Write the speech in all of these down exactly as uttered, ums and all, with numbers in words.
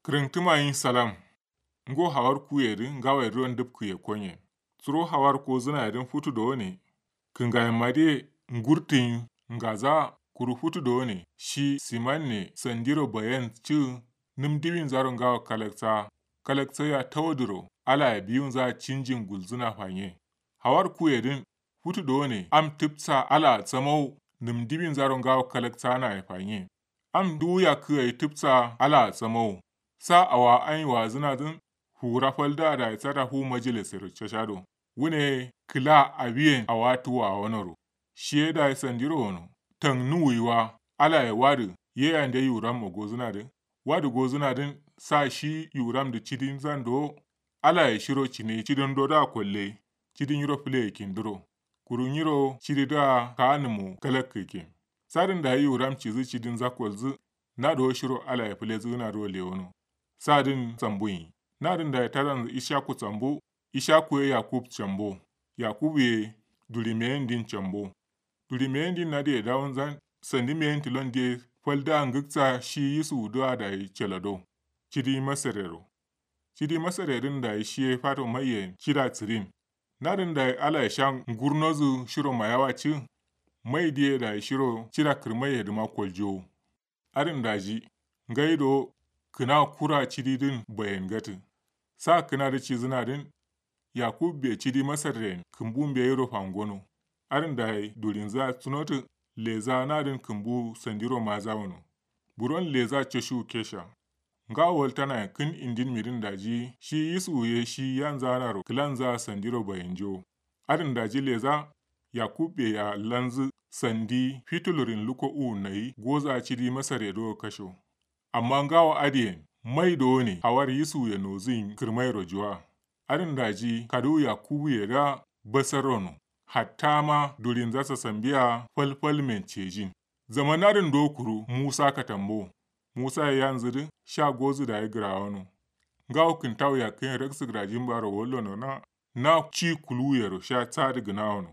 Kǝrǝngtǝma nyi salam. Ngo hawar kuye dǝ ngawo ye dǝ ro ndǝpkǝ ye konye. Suro hawar kozǝna ye dǝn futu dowone. Kǝngayen ma dǝ ye ngurtǝ nyi ngaza. Kuru futu dowone shi siman ne sandiro bayen cǝ. Nǝm diwinzaro ngawo kalaksa. Kalaksa ya tawo dǝro ala ye biwunza cinjin gulzǝna fanye. Hawar kuye dǝn futu dowone am tǝpsa ala a samawo. Nǝm diwinzaro ngawo kalaksa na ye fanye. Am duwu yakkǝ gai tǝpsa ala a samawo. Sa awa anyi wazǝna dǝn fuwura fal dǝ a dayi sata fu majilisero cashado. Wune kǝla awiyen awa tuwa wonoro. Shiye dayi sandiro wono. Tang nuwuyi wa ala ye wadǝ. Ye yande yuram ma gozǝna dǝ wadǝ gozǝna dǝn sa shi yuram dǝ cidin zan do. Ala ye shiro cine cidin do da kolle. Cidin nyiro fǝle ye kindǝro. Kuru nyiro cidi dǝ a kaanǝmo kalakkǝ kin. Sadǝn dayi yuram cizǝ cidin za kolzǝ. Na do shiro ala ye fǝlezǝ gǝna do lewono. Sadǝn sambu nyi. Nadǝn dayi tadanzǝ ishaku sambu. Ishaku ye yakub cambo. Yakub ye durimeyen din cambo. Durimeyen din nadǝ ye dawunzan. Sandimeyen tilon diye fal dǝ a ngǝksa shi yisuwu dǝ a dayi calado. Cidi masarero. Cidi masare dǝn dayi shiye fato maiyen cida sǝrin. Nadǝn dayi ala ye sha ngurnozǝ shiro mayawa cǝ. Mai diye dayi shiro cida kǝrmai ye dǝma koljowo. Adǝn daji ngai do kǝna kura cidi dǝn bayen gatǝ. Sa kǝna dǝ cizǝna dǝn. Yakub be cidi masarren kǝmbu mbeyiro fangono. Adǝn dayi durinza sunotǝ. Leza nadǝn kǝmbu sandiro maza wono. Buron leza cashu kesha. Ngawo waltana kǝn indin midin daji shi yisuwu ye shi yanza naro kǝlanza sandiro bayenjo. Adǝn daji leza yakub be ya lanzǝ sandi fitulurin luko uwu nayi goza cidi masare do kasho. Amma ngawo adǝyen mai dowone hawar yisuwu ye nozǝ yin kǝrmairo juwa. Adǝn daji kaduwu yakubu ye da basarro no. Hatta ma durinza sasambiya falfalmen cejin. Zaman adǝn do kuru musa katambo. Musa ye yanzǝ dǝ sha gozǝ dayi gǝrawono. Ngawo kǝntawu yakkǝ yen raksǝ gǝrajin baro wallono na. Na ci kuluwu yero sha sadǝ gǝnawono.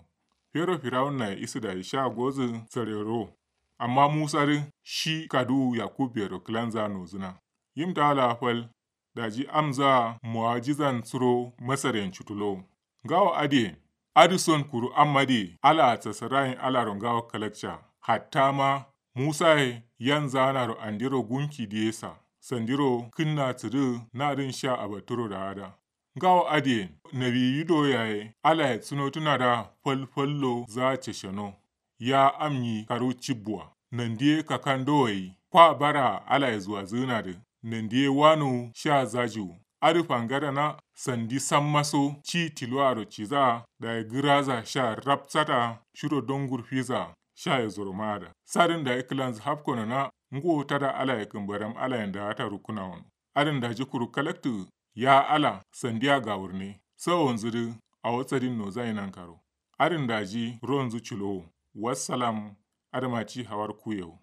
Fero firawun naye isǝ dayi sha gozǝ sarero. Amma musa dǝ shi kaduwu yakub yero kǝlanza nozǝna. Yim taala fal. Daji amza muwajizan suro masaren cutulo. Ngawo adǝyen adǝ son kuru amma dǝ ye ala a sasarayin alaro ngawo kalakca. Hatta ma musa ye yanza naro andiro gunki diye sa sandiro kǝnna sǝdǝ nadǝn sha abaturo da ada. Ngawo adǝyen nawiyi do yaye ala ye sunotǝna da falfallo za cashano. Ya am nyi karu cibbuwa. Nandiye kakando gai kwa bara ala ye zuwazǝgǝna dǝ. Nandiye wanu sha zajiwu. Adǝ fangadana sandi sammaso ci tiluwaro ciza dayi gǝraza sha rapsata shiro dongur fiza. Sha ye zoro maada sadǝn dayi kǝlanzǝ hafkono na. Nguwo tada ala ye kǝmbaram ala yen daata rukkǝna wono. Adǝn daji kuru kalaktǝ. Ya ala sandiya gawurne sawonzǝ dǝ awo sadin nozayi nankaro. Adǝn daji ronzǝ culowo. Wassalam. Adǝma ci hawar kuyewo.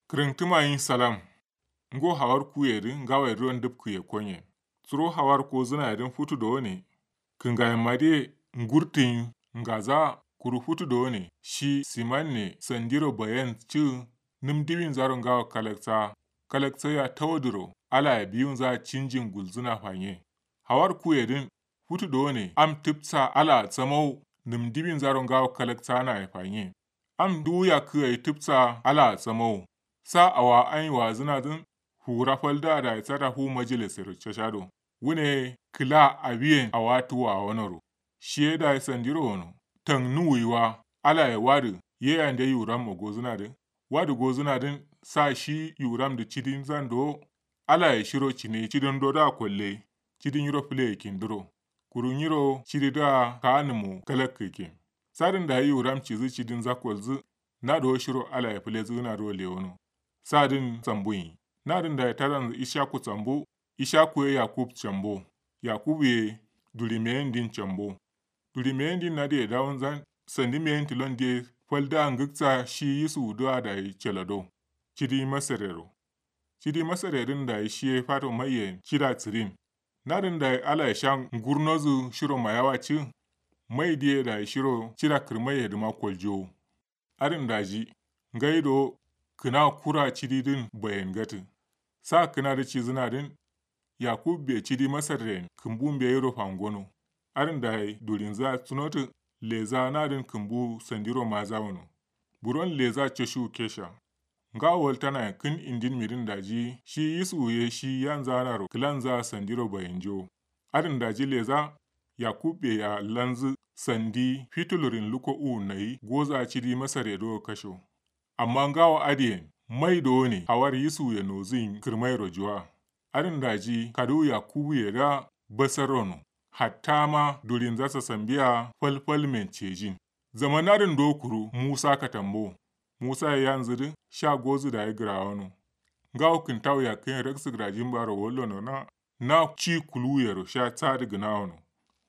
Kǝrǝngtǝma nyi salam. Ngo hawar kuye dǝ ngawo ye dǝ ro ndǝpkǝ ye konye. Suro hawar kozǝna ye dǝn futu dowone. Kǝngayen ma dǝ ye ngurtǝ nyi ngaza. Kuru futu dowone shi siman ne sandiro bayen cǝ. Nǝm diwinzaro ngawo kalaksa. Kalaksa ya tawo dǝro ala ye biwunza cinjin gulzǝna fanye. Hawar kuye dǝn futu dowone am tǝpsa ala a samawo. Nǝm diwinzaro ngawo kalaksa na ye fanye. Am duwu yakkǝ gai tǝpsa ala a samawo. Sa awa anyi wazǝna dǝn fuwura fal dǝ a dayi sata fu majilisero cashado. Wune kǝla awiyen awa tuwa wonoro. Shiye dayi sandiro wono. Tang nuwuyi wa ala ye wadǝ. Ye yande yuram ma gozǝna dǝ wadǝ gozǝna dǝn sa shi yuram dǝ cidin zan do. Ala ye shiro cine cidin do da kolle. Cidin nyiro fǝle ye kindǝro. Kuru nyiro cidi dǝ a kaanǝmo kalakkǝ kin. Sadǝn dayi yuram cizǝ cidin za kolzǝ. Na do shiro ala ye fǝlezǝgǝna do lewono. Sadǝn sambu nyi. Nadǝn dayi tadanzǝ ishaku sambu. Ishaku ye yakub cambo. Yakub ye durimeyen din cambo. Durimeyen din nadǝ ye dawunzan. Sandimeyen tilon diye fal dǝ a ngǝksa shi yisuwu dǝ a dayi calado. Cidi masarero. Cidi masarye dǝn dayi shiye fato maiyen cida sǝdin. Nadǝn dayi alaye sha ngurnozǝ shiro mayawa cǝ. Mai diye dayi shiro cida kǝrmaiye dǝma koljowo. Adǝn daji ngai do kǝna kura cidi dǝn bayen gatǝ. Sa kǝna dǝ cizǝna dǝn yakub be cidi masarren kǝmbu mbeyiro fangono. Adǝn dayi durinza sunotǝ. Leza nadǝn kǝmbu sandiro maza wono. Buron leza coshiwu kesha. Ngawo waltanayen kǝn indin midin daji shi yisuwu ye shi yanzanaro kǝlanza sandiro bayenjo. Adǝn daji leza yakub be ya lanzǝ sandi fitulurin luko uwun nayi goza cidi masarye do kasho. Amma ngawo adǝyen mai dowone hawar yisuwuye nozǝyin kǝrmairo juwa. Adǝn daji kaduwu yakubuye da basarro no. Hatta ma durinza sasambiya falfalmen cejin. Zaman adǝn do kuru musa katambo. Musaye yanzǝ dǝ sha gozǝ dayi gǝrawono. Ngawo kǝntawu yakkǝyen raksǝ gǝrajin baro wallono na. Na ci kuluwuyero sha sadǝ gǝnawono.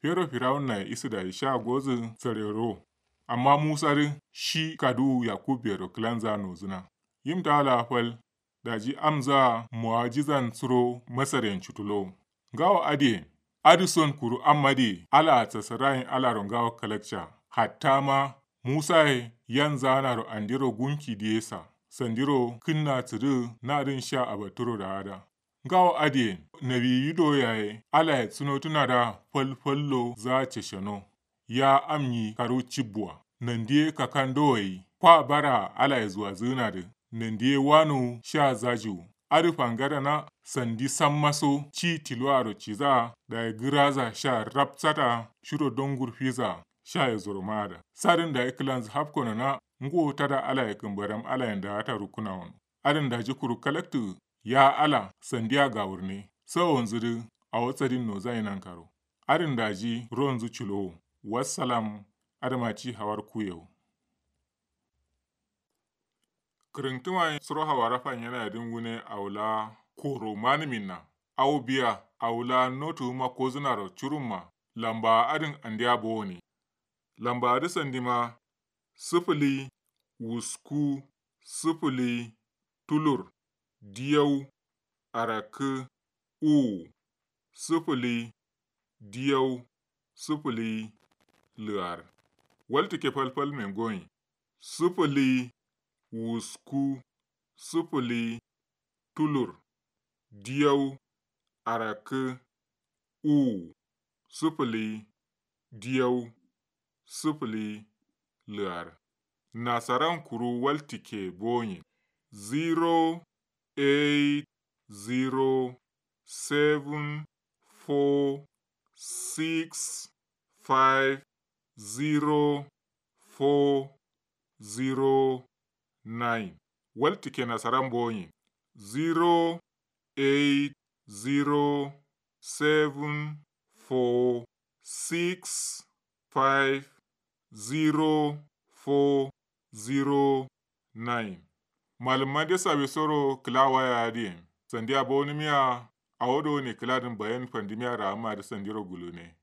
Fero firawunnaye isǝ dayi sha gozǝ sarero. Amma musa dǝ shi kaduwu yakub bero kǝlanza nozǝna. Yim tawo laa fal. Daji amza muwajizan suro masaryen cutulowo. Ngawo adǝyen adǝson kuru am adǝye alaa sasarayin alaro ngawo kalakca. Hatta ma musaye yanzanaro andero gunki diye sa sandiro kǝnna sǝdǝ nadǝn sha abatturo daada. Ngawo adǝyen nawiyi do yaye alaye sunotǝna da falfallo za cesheno. Ya am nyi karu cibbuwa nandiye kakandowo ye kwa bara alaye zuwazǝgǝnadǝ. Nandiye wanuwu sha zajiwu adǝ fangadana sandi sammaso ci tiluwaro ciza dayi gǝraza sha rapsata shiro dongur fiza. Shaye zoro maada sadǝn dayi kǝlanzǝ hafkono na. Nguwo tada alaye kǝmbaram alayen daata rukkǝnawono. Adǝn daji kuru kalaktu. Ya ala sandiya gawurne sawonzǝ dǝ awo sadin nozaye nankaro. Adǝn daji ronzǝ culowo. Wassalam. Adǝma ci hawar kuyewo. Kǝrǝntǝma ye suro hawara fanyena ye dǝn wune awo laa koro manǝminna. Awo biya awo laa notuwuma kozǝnaro curumma. Lambawa adǝn andeya bowone. Lambawa dǝ sandima sǝfǝli wusku sǝfǝli tulur diyau arakkǝ uwu sǝfǝli diyau sǝfǝli lǝar. Waltǝkke falfalmen goyin sǝfǝli wusku sǝfǝli tulur diyau arakkǝ uwu sǝfǝli diyau sǝfǝli lǝar. Nasaran kuru waltǝkke boyin zero eight zero seven four six five zero four zero nine. Waltǝkke nasaran boyin zero eight zero seven four six five zero four zero nine. Malǝmma de sawisoro kǝla waya adǝyen sandiya bowonǝmiya. Awo dowone kǝladǝn bayan fandǝmiya raamma dǝ sandiro gulune.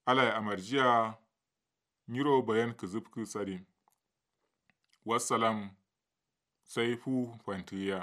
Alaye amarjiya. Nyiro bayan kǝzǝfkǝ sadin. Wassalam. Sai fu fantǝgǝya.